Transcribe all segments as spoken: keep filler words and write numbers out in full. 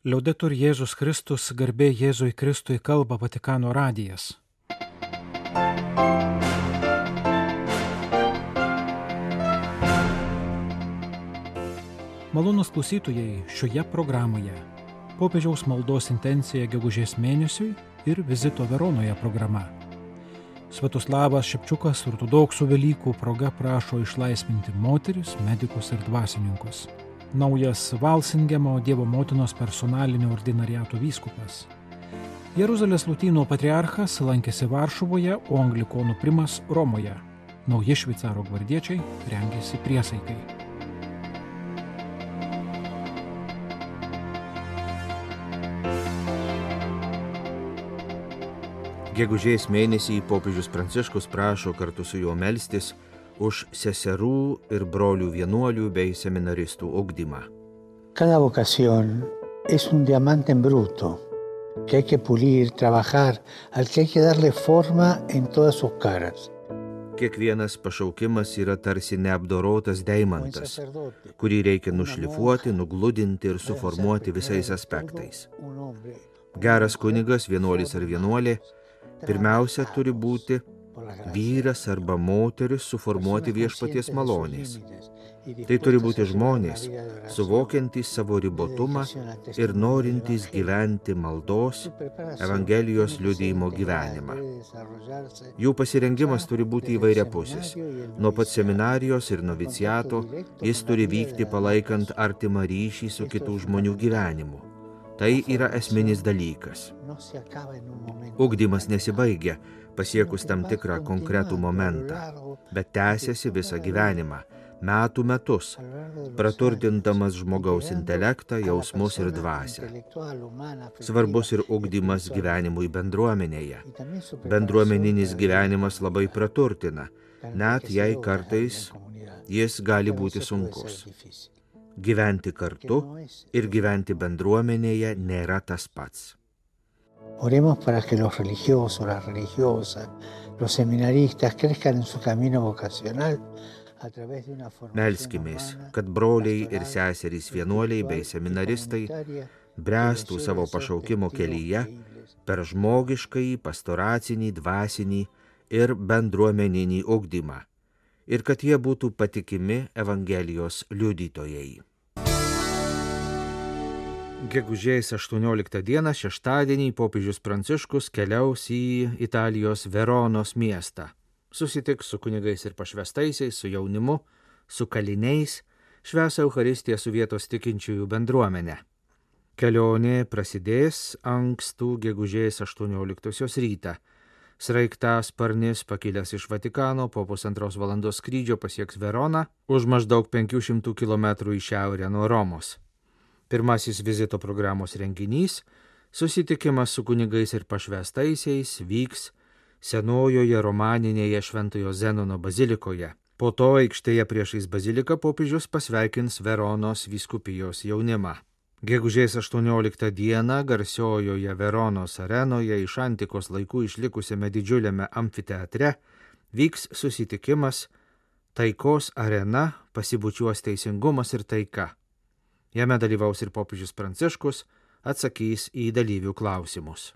Liaudetur Jėzus Kristus, garbė Jėzui Kristui, kalba Vatikano radijas. Malonūs klausytojai, šioje programoje popiežiaus maldos intencija gegužės mėnesiui ir vizito Veronoje programa. Sviatoslavas Šepčiukas ortodoksų Velykų proga prašo išlaisvinti moteris, medikus ir dvasininkus. Naujas Valsingemo Dievo motinos personalinio ordinariato vyskupas. Jeruzalės Lotynų patriarchas lankėsi Varšuvoje, o anglikonų primas Romoje. Nauji šveicaro gvardiečiai rengėsi priesaikai. Gegužės mėnesį popiežius Pranciškus prašo kartu su juo melstis už seserų ir brolių vienuolių bei seminaristų ugdymą. Cada vocación es un diamante en bruto, que hay que pulir, trabajar, al que hay que darle forma en todas sus caras. Kiekvienas pašaukimas yra tarsi neapdorotas deimantas, kurį reikia nušlifuoti, nugludinti ir suformuoti visais aspektais. Geras kunigas, vienuolis ar vienuolė, pirmiausia turi būti vyras arba moteris suformuoti viešpaties malonės. Tai turi būti žmonės, suvokiantys savo ribotumą ir norintys gyventi maldos, Evangelijos liudijimo gyvenimą. Jų pasirengimas turi būti įvairiapusis. Nuo pat seminarijos ir noviciato jis turi vykti palaikant artimą ryšį su kitų žmonių gyvenimu. Tai yra esminis dalykas. Ugdymas nesibaigia pasiekus tam tikrą konkretų momentą, bet tęsiasi visą gyvenimą, metų metus, praturtindamas žmogaus intelektą, jausmus ir dvasią. Svarbus ir ugdymas gyvenimui bendruomenėje. Bendruomeninis gyvenimas labai praturtina, net jei kartais jis gali būti sunkus. Gyventi kartu ir gyventi bendruomenėje nėra tas pats. Oremos para que los religiosos, las religiosas, los seminaristas crezcan en su camino vocacional a través de una formación. Melskimės, kad broliai ir seserys vienuoliai bei seminaristai bręstų savo pašaukimo kelyje per žmogiškąjį, pastoracinį, dvasinį ir bendruomeninį ugdymą ir kad jie būtų patikimi Evangelijos liudytojai. Gegužės aštuonioliktą dieną, šeštadienį, popiežius Pranciškus keliaus į Italijos Veronos miestą. Susitiks su kunigais ir pašvestaisiais, su jaunimu, su kaliniais, švęs Eucharistiją su vietos tikinčiųjų bendruomenė. Kelionė prasidės ankstų gegužės aštuonioliktosios rytą. Sraigtasparnis pakilęs iš Vatikano po pusantros valandos skrydžio pasieks Veroną už maždaug penkių šimtų kilometrų į šiaurę nuo Romos. Pirmasis vizito programos renginys – susitikimas su kunigais ir pašvestaisiais vyks senojoje romaninėje Šventojo Zenono bazilikoje. Po to aikštėje priešais baziliką popiežius pasveikins Veronos vyskupijos jaunimą. Gegužės aštuonioliktą dieną garsiojoje Veronos arenoje iš antikos laikų išlikusiame didžiuliame amfiteatre vyks susitikimas Taikos arena pasibučiuos teisingumas ir taika. Jame dalyvaus ir popiežius Pranciškus, atsakys į dalyvių klausimus.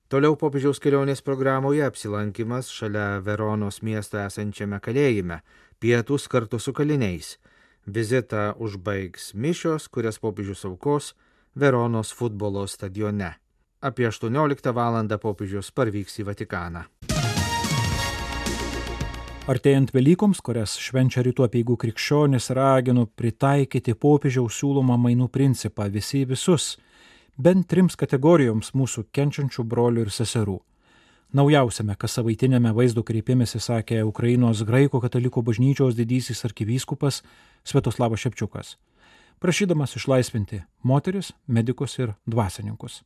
Toliau popiežiaus kelionės programoje apsilankimas šalia Veronos miesto esančiame kalėjime, pietūs kartu su kaliniais. Vizitą užbaigs mišios, kurias popiežius aukos Veronos futbolo stadione. Apie aštuonioliktą valandą popiežius parvyks į Vatikaną. Artėjant Velykoms, kurias švenčia rytų apeigų krikščionis, raginu pritaikyti popiežiaus siūlomą mainų principą visi visus, bent trims kategorijoms mūsų kenčiančių brolių ir seserų. Naujausiame kassavaitinėme vaizdo kreipimėsi sakė Ukrainos graikų katalikų bažnyčios didysis arkivyskupas Sviatoslavas Šepčiukas, prašydamas išlaisvinti moteris, medikus ir dvasininkus.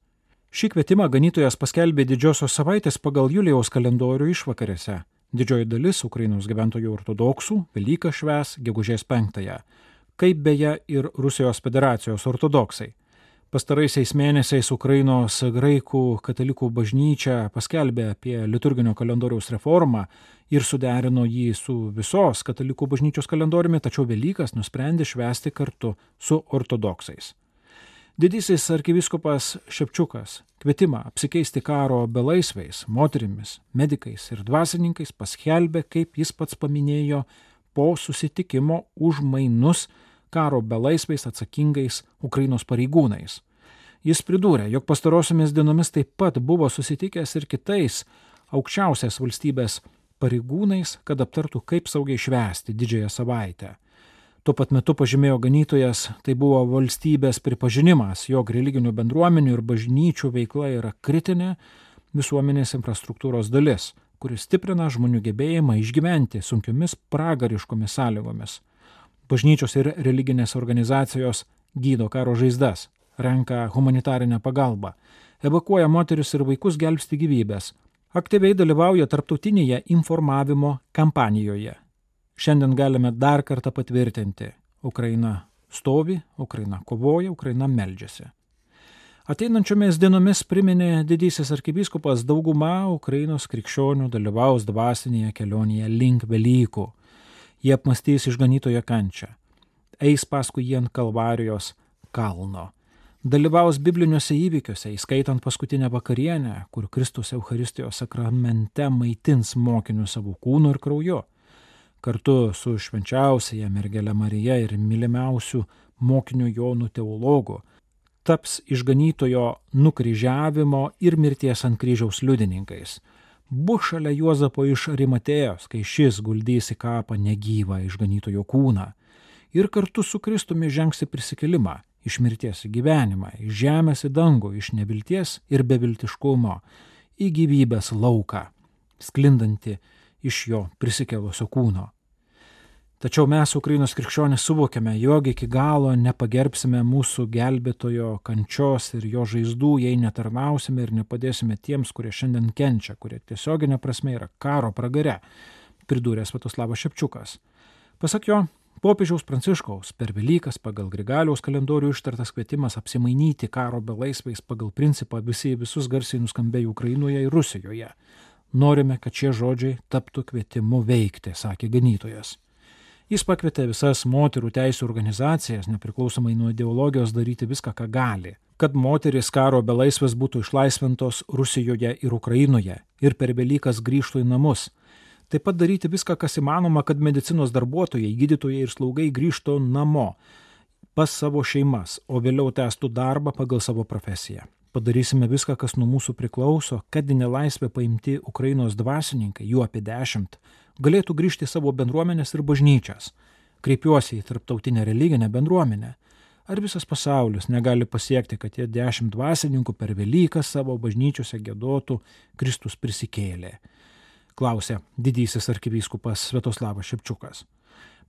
Šį kvietimą ganytojas paskelbė didžiosios savaitės pagal Julijaus kalendorių išvakarėse. Didžioji dalis Ukrainos gyventojų ortodoksų Velyką švęs gegužės penktąją, kaip beje ir Rusijos federacijos ortodoksai. Pastaraisiais mėnesiais Ukrainos graikų katalikų bažnyčia paskelbė apie liturginio kalendoriaus reformą ir suderino jį su visos katalikų bažnyčios kalendoriumi, tačiau Velykas nusprendė švęsti kartu su ortodoksais. Didysis arkivyskupas Šepčiukas kvietimą apsikeisti karo belaisviais, moterimis, medikais ir dvasininkais paskelbė, kaip jis pats paminėjo, po susitikimo už mainus karo belaisviais atsakingais Ukrainos pareigūnais. Jis pridūrė, jog pastarosiomis dienomis taip pat buvo susitikęs ir kitais aukščiausias valstybės pareigūnais, kad aptartų, kaip saugiai švęsti didžiąją savaitę. Tuo pat metu pažymėjo ganytojas, tai buvo valstybės pripažinimas, jog religinių bendruomenių ir bažnyčių veikla yra kritinė visuomenės infrastruktūros dalis, kuris stiprina žmonių gebėjimą išgyventi sunkiomis pragariškomis sąlygomis. Bažnyčios ir religinės organizacijos gydo karo žaizdas, renka humanitarinę pagalbą, evakuoja moteris ir vaikus gelbsti gyvybės, aktyviai dalyvauja tarptautinėje informavimo kampanijoje. Šiandien galime dar kartą patvirtinti, Ukraina stovi, Ukraina kovoja, Ukraina meldžiasi. Ateinančiomis dienomis priminė didysis arkivyskupas, dauguma Ukrainos krikščionių dalyvaus dvasinėje kelionėje link Velykų. Jie apmąstys išganytojo kančią, eis paskui jį ant Kalvarijos kalno, dalyvaus bibliniuose įvykiuose, įskaitant paskutinę vakarienę, kur Kristus Eucharistijos sakramente maitins mokinius savo kūnu ir krauju. Kartu su švenčiausiaja mergele Marija ir mylimiausiu mokiniu Jonu teologu taps išganytojo nukryžiavimo ir mirties ant kryžiaus liudininkais. Bus šalia Juozapo iš Arimatėjos, kai šis guldys į kapą negyvą išganytojo kūną. Ir kartu su Kristumi žengs į prisikėlimą, iš mirties į gyvenimą, iš žemės į dangų, iš nevilties ir beviltiškumo, į gyvybės lauką, sklindantį iš jo prisikėlusio kūno. Tačiau mes, Ukrainos krikščionys, suvokiame, jog iki galo nepagerbsime mūsų gelbėtojo kančios ir jo žaizdų, jei netarnausime ir nepadėsime tiems, kurie šiandien kenčia, kurie tiesioginė prasme yra karo pragare, pridūrė Sviatoslavas Šepčiukas. Pasak jo, popiežiaus Pranciškaus per Velykas pagal Grigaliaus kalendorių ištartas kvietimas apsimainyti karo belaisviais pagal principą visi visus garsiai nuskambėjo Ukrainoje ir Rusijoje. Norime, kad šie žodžiai taptų kvietimu veikti, sakė ganytojas. Jis pakvietė visas moterų teisių organizacijas, nepriklausomai nuo ideologijos, daryti viską, ką gali, kad moteris karo belaisvės būtų išlaisvintos Rusijoje ir Ukrainoje ir per Velykas grįžtų į namus. Taip pat daryti viską, kas įmanoma, kad medicinos darbuotojai, gydytojai ir slaugai grįžtų namo pas savo šeimas, o vėliau tęstų darbą pagal savo profesiją. Padarysime viską, kas nuo mūsų priklauso, kad į nelaisvę paimti Ukrainos dvasininkai, jų apie dešimt, galėtų grįžti į savo bendruomenės ir bažnyčias. Kreipiuosi į tarptautinę religinę bendruomenę. Ar visas pasaulis negali pasiekti, kad tie dešimt dvasininkų per Velykas savo bažnyčiose giedotų Kristus prisikėlė? Klausė didysis arkivyskupas Sviatoslavas Šepčiukas.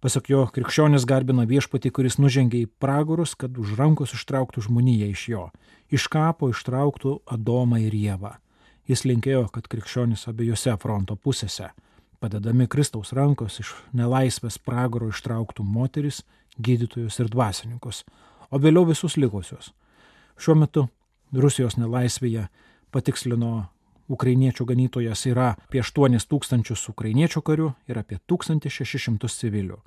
Pasak jo, krikščionis garbina viešpatį, kuris nužengė į pragarus, kad už rankos ištrauktų žmoniją iš jo. Iš kapo ištrauktų Adomą ir Ievą. Jis linkėjo, kad krikščionis abiejose fronto pusėse, padedami Kristaus rankos, iš nelaisvės pragaro ištrauktų moteris, gydytojus ir dvasininkus, o vėliau visus likusius. Šiuo metu Rusijos nelaisvėje, patikslino ukrainiečių ganytojas, yra apie aštuonis tūkstančius ukrainiečių karių ir apie tūkstantį šešis šimtus civilių.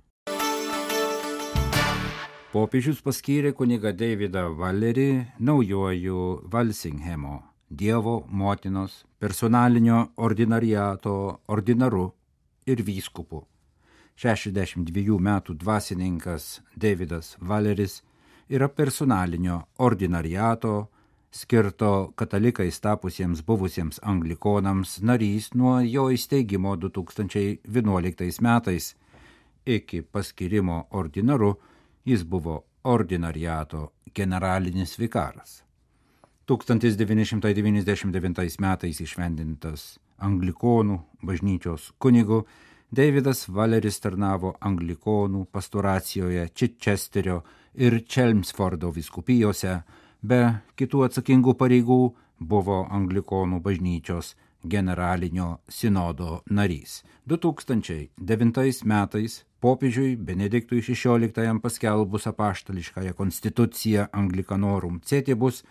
Popiežius paskyrė kunigą Davidą Valerį naujuoju Valsinghemo Dievo motinos personalinio ordinariato ordinaru ir vyskupu. šešiasdešimt dviejų metų dvasininkas Davidas Valeris yra personalinio ordinariato skirto katalikais tapusiems buvusiems anglikonams narys nuo jo įsteigimo du tūkstančiai vienuoliktais metais. Iki paskyrimo ordinaru jis buvo ordinariato generalinis vikaras. tūkstantis devyni šimtai devyniasdešimt devintais metais išvendintas anglikonų bažnyčios kunigu, Davidas Valeris tarnavo anglikonų pastoracijoje Chichesterio ir Chelmsfordo vyskupijose, be kitų atsakingų pareigų buvo anglikonų bažnyčios generalinio sinodo narys. du tūkstančiai devintais metais popiežiui Benediktui šešioliktajam paskelbus apaštališkąją konstituciją Anglicanorum Cetibus,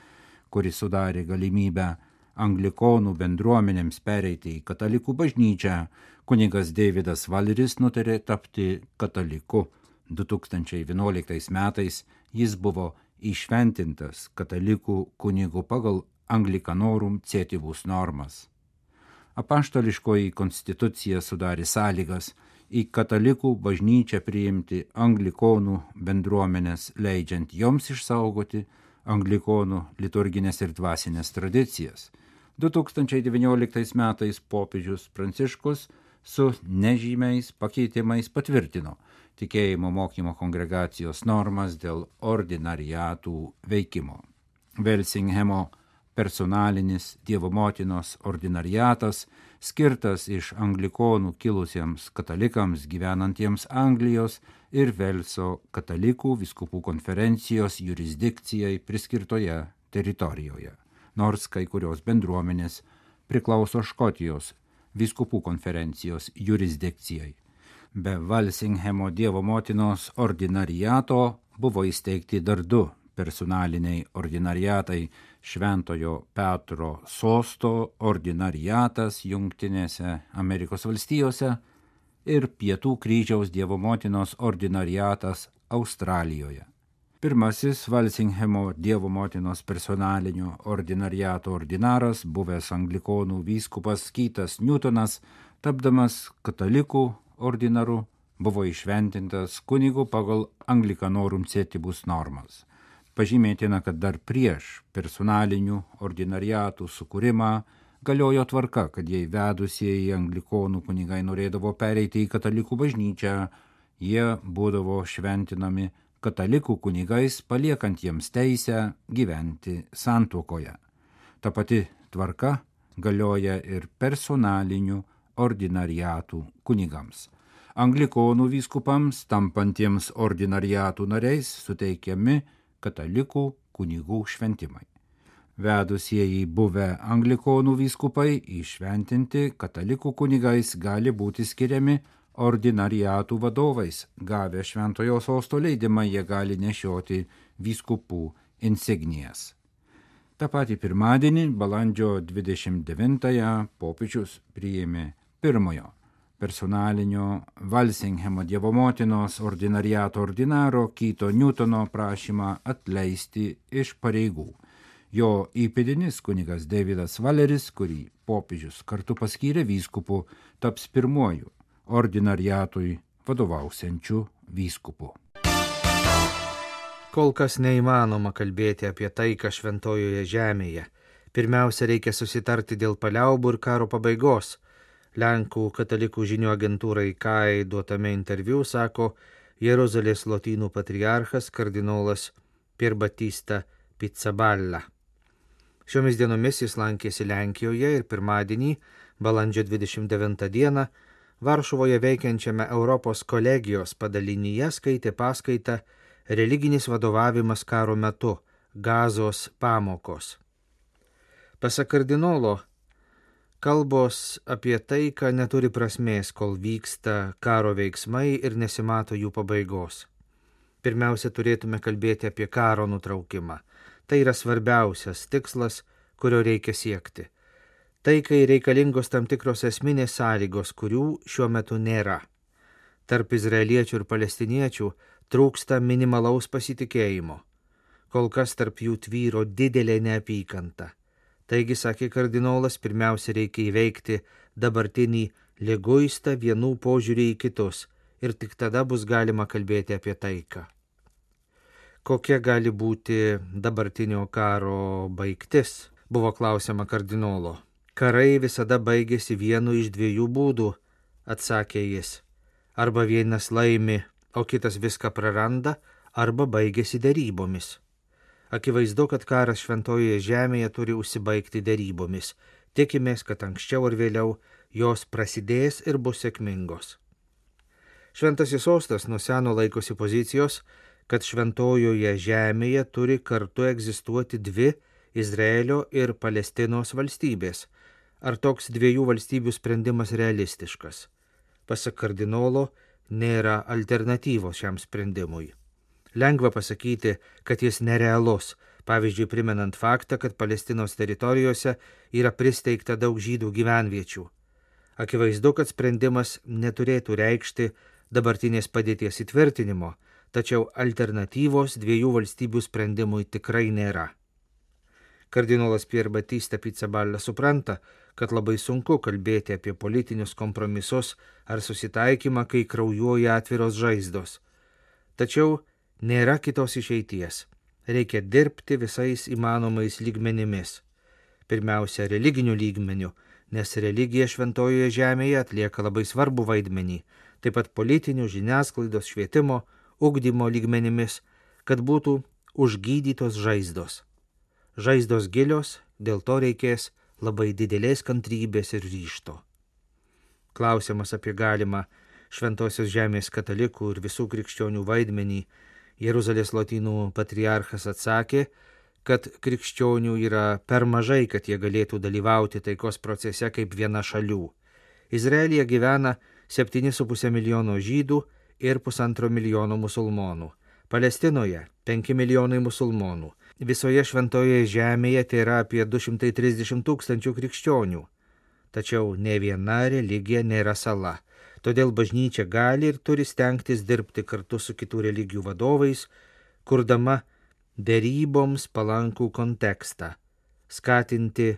kuris sudarė galimybę anglikonų bendruomenėms pereiti į katalikų bažnyčią, kunigas Davidas Valeris nutarė tapti kataliku. du tūkstančiai vienuoliktais metais jis buvo įšventintas katalikų kunigų pagal Anglicanorum Cetibus normas. Apaštališkoji konstitucija sudarė sąlygas į katalikų bažnyčią priimti anglikonų bendruomenės, leidžiant joms išsaugoti anglikonų liturginės ir dvasinės tradicijas. du tūkstančiai devynioliktais metais popiežius Pranciškus su nežymiais pakeitimais patvirtino tikėjimo mokymo kongregacijos normas dėl ordinariatų veikimo. Velsinghemo personalinis Dievo motinos ordinariatas, skirtas iš anglikonų kilusiems katalikams gyvenantiems Anglijos ir Velso katalikų vyskupų konferencijos jurisdikcijai priskirtoje teritorijoje, nors kai kurios bendruomenės priklauso Škotijos vyskupų konferencijos jurisdikcijai. Be Valsinghemo Dievo motinos ordinariato buvo įsteigti dar du personaliniai ordinariatai: Šventojo Petro sosto ordinariatas Jungtinėse Amerikos valstijose ir Pietų kryžiaus Dievo motinos ordinariatas Australijoje. Pirmasis Valsinghemo Dievo motinos personalinio ordinariato ordinaras, buvęs anglikonų vyskupas Keithas Newtonas, tapdamas katalikų ordinaru, buvo išventintas kunigu pagal Anglicanorum Cetibus normas. Pažymėtina, kad dar prieš personalinių ordinariatų sukūrimą galiojo tvarka, kad jei vedusieji anglikonų kunigai norėdavo pereiti į katalikų bažnyčią, jie būdavo šventinami katalikų kunigais, paliekant jiems teisę gyventi santuokoje. Ta pati tvarka galioja ir personalinių ordinariatų kunigams. Anglikonų vyskupams, tampantiems ordinariatų nariais, suteikiami katalikų kunigų šventimai. Vedusieji buvę anglikonų vyskupai įšventinti katalikų kunigais gali būti skiriami ordinariatų vadovais. Gavę šventojo sosto leidimą, jie gali nešioti vyskupų insignijas. Ta pati pirmadienį, balandžio dvidešimt devintąją, popiežius priėmė pirmojo personalinio Valsinghemo Dievo motinos ordinariato ordinaro Keitho Newtono prašymą atleisti iš pareigų. Jo įpėdinis kunigas Davidas Valeris, kurį popiežius kartu paskyrė vyskupu, taps pirmuoju ordinariatui vadovausiančiu vyskupu. Kol kas neįmanoma kalbėti apie taiką šventojoje žemėje. Pirmiausia, reikia susitarti dėl paliaubų ir karo pabaigos. Lenkų katalikų žinių agentūrai K A I duotame interviu sako Jeruzalės lotynų patriarchas kardinolas Pier Battista Pizzaballa. Šiomis dienomis jis lankėsi Lenkijoje ir pirmadienį, balandžio dvidešimt devintą dieną, Varšuvoje veikiančiame Europos kolegijos padalinyje skaitė paskaitą Religinis vadovavimas karo metu – Gazos pamokos. Pasak kardinolo, kalbos apie taiką neturi prasmės, kol vyksta karo veiksmai ir nesimato jų pabaigos. Pirmiausia, turėtume kalbėti apie karo nutraukimą. Tai yra svarbiausias tikslas, kurio reikia siekti. Taikai reikalingos tam tikros esminės sąlygos, kurių šiuo metu nėra. Tarp izraeliečių ir palestiniečių trūksta minimalaus pasitikėjimo. Kol kas tarp jų tvyro didelė neapykanta. Taigi, sakė kardinolas, pirmiausia reikia įveikti dabartinį liguistą vienų požiūrį į kitus ir tik tada bus galima kalbėti apie taiką. Kokia gali būti dabartinio karo baigtis, buvo klausiama kardinolo. Karai visada baigėsi vienu iš dviejų būdų, atsakė jis. Arba vienas laimi, o kitas viską praranda, arba baigėsi derybomis. Akivaizdu, kad karas šventojoje žemėje turi užsibaigti derybomis. Tikimės, kad anksčiau ar vėliau jos prasidės ir bus sėkmingos. Šventasis sostas nuo seno laikosi pozicijos, kad šventojoje žemėje turi kartu egzistuoti dvi Izraelio ir Palestinos valstybės. Ar toks dviejų valstybių sprendimas realistiškas? Pasak kardinolo, nėra alternatyvos šiam sprendimui. Lengva pasakyti, kad jis nerealus, pavyzdžiui, primenant faktą, kad Palestinos teritorijose yra pristeigta daug žydų gyvenviečių. Akivaizdu, kad sprendimas neturėtų reikšti dabartinės padėties įtvirtinimo, tačiau alternatyvos dviejų valstybių sprendimui tikrai nėra. Kardinolas Pier Battista Pizzaballa supranta, kad labai sunku kalbėti apie politinius kompromisus ar susitaikymą, kai kraujuoja atviros žaizdos. Tačiau nėra kitos išeities. Reikia dirbti visais įmanomais lygmenimis. Pirmiausia, religinių lygmenių, nes religija šventojoje žemėje atlieka labai svarbų vaidmenį, taip pat politinių, žiniasklaidos, švietimo, ugdymo lygmenimis, kad būtų užgydytos žaizdos. Žaizdos gilios, dėl to reikės labai didelės kantrybės ir ryžto. Klausimas apie galimą šventosios žemės katalikų ir visų krikščionių vaidmenį Jeruzalės lotynų patriarchas atsakė, kad krikščionių yra per mažai, kad jie galėtų dalyvauti taikos procese kaip viena šalių. Izraelyje gyvena septyni su puse milijono žydų ir pusantro milijono musulmonų. Palestinoje penki milijonai musulmonų. Visoje šventoje žemėje tai yra apie du šimtai trisdešimt tūkstančių krikščionių. Tačiau ne viena religija nėra sala. Todėl bažnyčia gali ir turi stengtis dirbti kartu su kitų religijų vadovais, kurdama deryboms palankų kontekstą, skatinti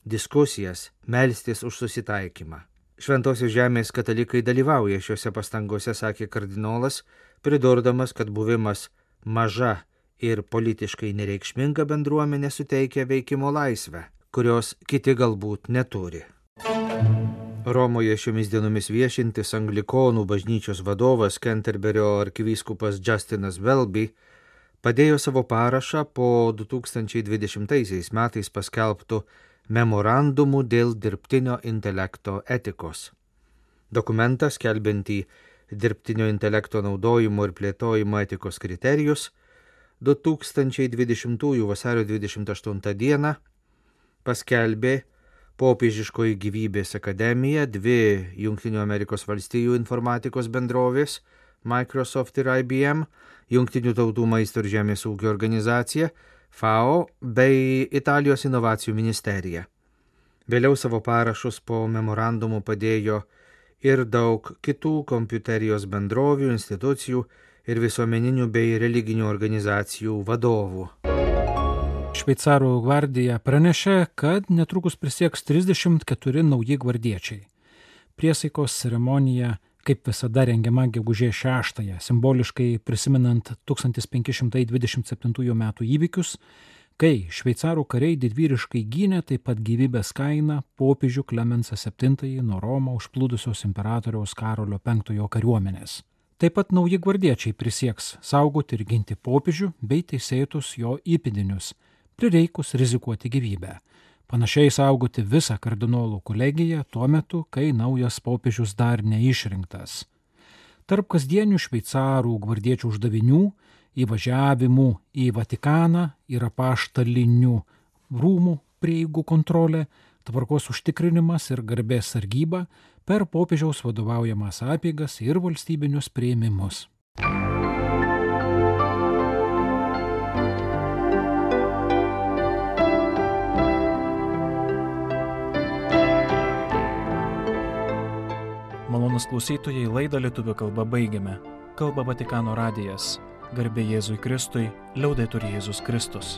diskusijas, melstis už susitaikymą. Šventosios žemės katalikai dalyvauja šiuose pastangose, sakė kardinolas, pridurdamas, kad buvimas maža ir politiškai nereikšminga bendruomenė suteikia veikimo laisvę, kurios kiti galbūt neturi. Romoje šiomis dienomis viešintis anglikonų bažnyčios vadovas Kenterberio arkivyskupas Justinas Welby padėjo savo parašą po du tūkstančiai dvidešimtaisiais metais paskelbtų memorandumų dėl dirbtinio intelekto etikos. Dokumentas, skelbiantį dirbtinio intelekto naudojimo ir plėtojimo etikos kriterijus, du tūkstančiai dvidešimtųjų vasario dvidešimt aštuntą dieną paskelbė Popiežiškoji gyvybės akademija, dvi Jungtinių Amerikos valstijų informatikos bendrovės, Microsoft ir I B M, Jungtinių tautų maisto ir žemės ūkio organizacija, F A O bei Italijos inovacijų ministerija. Vėliau savo parašus po memorandumu padėjo ir daug kitų kompiuterijos bendrovių, institucijų ir visuomeninių bei religinių organizacijų vadovų. Šveicarų gvardija pranešė, kad netrukus prisieks trisdešimt keturi nauji gvardiečiai. Priesaikos ceremonija, kaip visada, rengiama gegužės šeštąją, simboliškai prisimenant tūkstantis penki šimtai dvidešimt septintųjų metų įvykius, kai šveicarų kariai didvyriškai gynė taip pat gyvybės kainą popiežių Klemensą septintąjį nuo Romą užplūdusios imperatoriaus Karolio penktojo kariuomenės. Taip pat nauji gvardiečiai prisieks saugoti ir ginti popiežių bei teisėtus jo įpėdinius, prireikus rizikuoti gyvybę. Panašiai saugoti visą kardinolų kolegiją tuo metu, kai naujas popiežius dar neišrinktas. Tarp kasdienių šveicarų gvardiečių uždavinių įvažiavimų į Vatikaną yra apaštalinių rūmų prieigų kontrolė, tvarkos užtikrinimas ir garbės sargyba per popiežiaus vadovaujamas apeigas ir valstybinius priėmimus. Malonūs klausytojai, laidą lietuvių kalba baigiame. Kalba Vatikano radijas. Garbė Jėzui Kristui, liaudetur Jėzus Kristus.